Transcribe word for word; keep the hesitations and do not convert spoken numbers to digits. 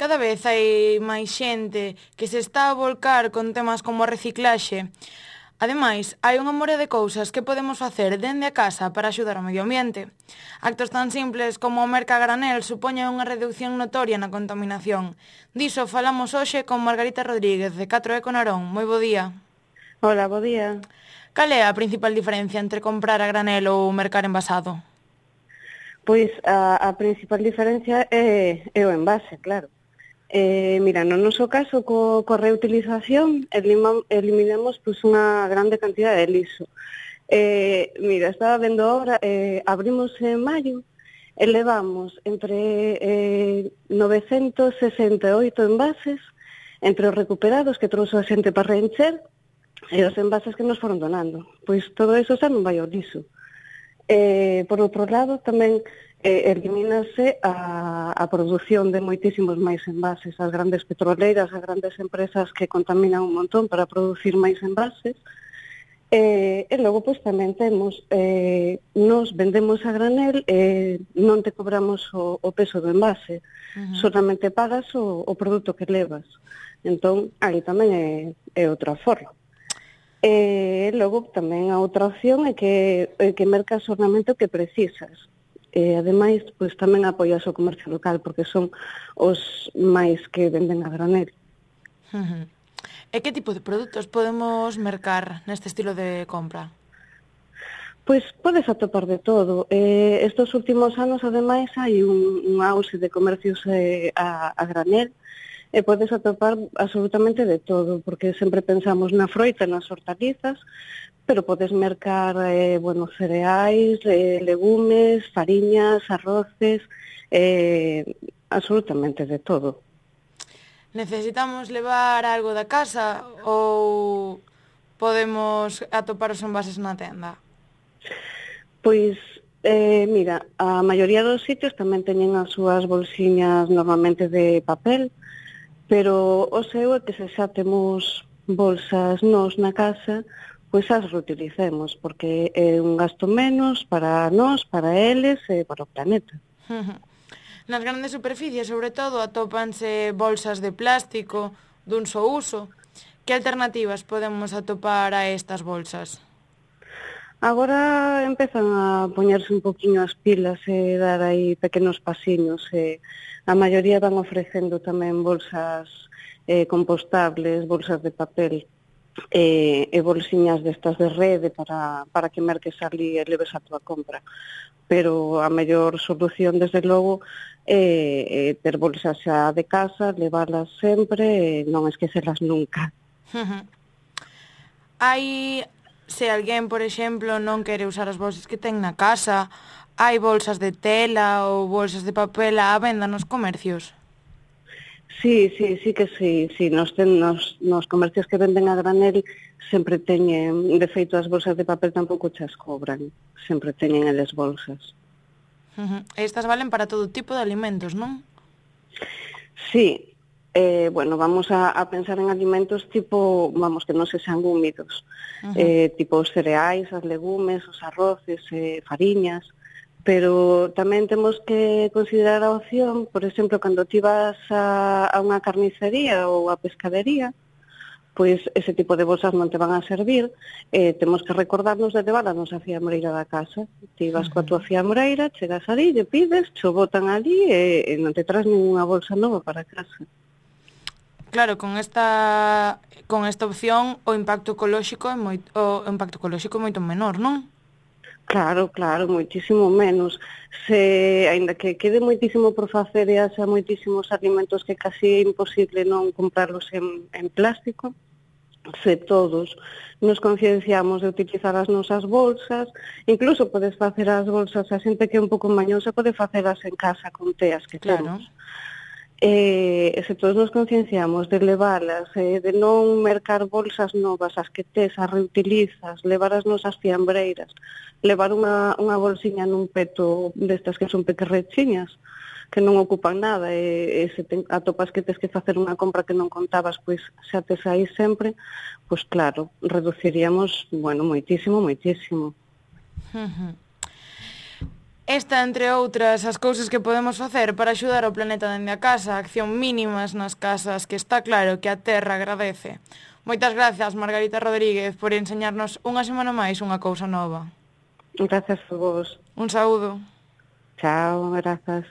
cada vez hai máis xente que se está a volcar con temas como a reciclaxe. Ademais, hai unha morea de cousas que podemos facer dende a casa para axudar ao medio ambiente. Actos tan simples como o merca a granel supoñen unha reducción notoria na contaminación. Diso falamos hoxe con Margarita Rodríguez, de catro Eco Narón. Moi bo día. Hola, bo día. Cal é a principal diferencia entre comprar a granel ou mercar envasado? Pois a, a principal diferencia é, é o envase, claro. Eh, mira, no noso caso, co, co reutilización, elima, eliminamos pois, unha grande cantidad de liso. Eh, mira, estaba vendo ahora, eh, abrimos en maio e levamos entre eh, novecentos sesenta e oito envases, entre os recuperados que trouxe a xente para reencher, e os envases que nos foron donando. Pois todo eso xa non vai ao liso. Eh, por outro lado, tamén eh, elimínase a, a produción de moitísimos máis envases. As grandes petroleiras, as grandes empresas que contaminan un montón para producir máis envases. Eh, e logo, pois, tamén temos, eh, nos vendemos a granel e eh, non te cobramos o, o peso do envase. Uh-huh. Solamente pagas o, o produto que levas. Entón, aí tamén é, é outra forma. E logo tamén a outra opción é que, é que mercas o ornamento que precisas. E ademais, pois tamén apoias o comercio local, porque son os máis que venden a granel. Uh-huh. E que tipo de produtos podemos mercar neste estilo de compra? Pois podes atopar de todo. Eh, estes últimos anos, ademais, hai un, un auxe de comercios eh, a, a granel, e podes atopar absolutamente de todo, porque sempre pensamos na froita, nas hortalizas, pero podes mercar, eh, bueno, cereais, eh, legumes, fariñas, arroces, eh, absolutamente de todo. Necesitamos levar algo da casa ou podemos atopar os envases na tenda? Pois, eh, mira, a maioría dos sitios tamén teñen as súas bolsiñas normalmente de papel, pero o seu é que se xa temos bolsas nós na casa, pois as reutilicemos, porque é un gasto menos para nós, para eles e para o planeta. Nas grandes superficies, sobre todo, atópanse bolsas de plástico dun só uso. Que alternativas podemos atopar a estas bolsas? Agora empezan a poñerse un poquinho as pilas e dar aí pequenos pasiños. E a maioría van ofrecendo tamén bolsas eh, compostables, bolsas de papel e, e bolsiñas destas de rede para, para que merques ali e leves a tua compra. Pero a mellor solución, desde logo, é, é ter bolsas xa de casa, leválas sempre e non esquecelas nunca. Hai... Se alguén, por exemplo, non quere usar as bolsas que ten na casa, hai bolsas de tela ou bolsas de papel á venda nos comercios? Sí, sí, sí que sí. sí. Nos, ten, nos, nos comercios que venden a granel sempre teñen, de feito, as bolsas de papel tampouco chas cobran. Sempre teñen eles bolsas. Uh-huh. Estas valen para todo tipo de alimentos, non? Sí. Eh, bueno, vamos a, a pensar en alimentos tipo, vamos, que non se sean húmidos, uh-huh. eh, tipo os cereais, os legumes, os arroces, eh, fariñas, pero tamén temos que considerar a opción, por exemplo, cando ti vas a, a unha carnicería ou a pescadería, pois ese tipo de bolsas non te van a servir, eh, temos que recordarnos de levar a nosa fiambreira da casa. Ti vas uh-huh. coa tua fiambreira, chegas ali, lle pides, cho botan ali e, e non te traes ninguna bolsa nova para casa. Claro, con esta con esta opción o impacto ecolóxico é moi, o impacto ecolóxico é moito menor, non? Claro, claro, moitísimo menos. Se aínda que quede moitísimo por facer e haxa moitísimos alimentos que casi é imposible non comprarlos en, en plástico, se todos nos concienciamos de utilizar as nosas bolsas, incluso podes facer as bolsas, a xente que é un pouco mañosa pode facelas en casa con teas que claro. temos. E se todos nos concienciamos de leválas, eh, de non mercar bolsas novas, as que tes, as reutilizas, levar as nosas fiambreiras, levar unha, unha bolsiña nun peto destas que son pequerrechiñas, que non ocupan nada, e, e se te atopas que tes que facer unha compra que non contabas, pois xa tes aí sempre, pois claro, reduciríamos, bueno, moitísimo, moitísimo. Uh-huh. Esta, entre outras, as cousas que podemos facer para axudar o planeta dende a casa, acción mínimas nas casas que está claro que a Terra agradece. Moitas gracias, Margarita Rodríguez, por enseñarnos unha semana máis unha cousa nova. Gracias a vos. Un saúdo. Chao, grazas.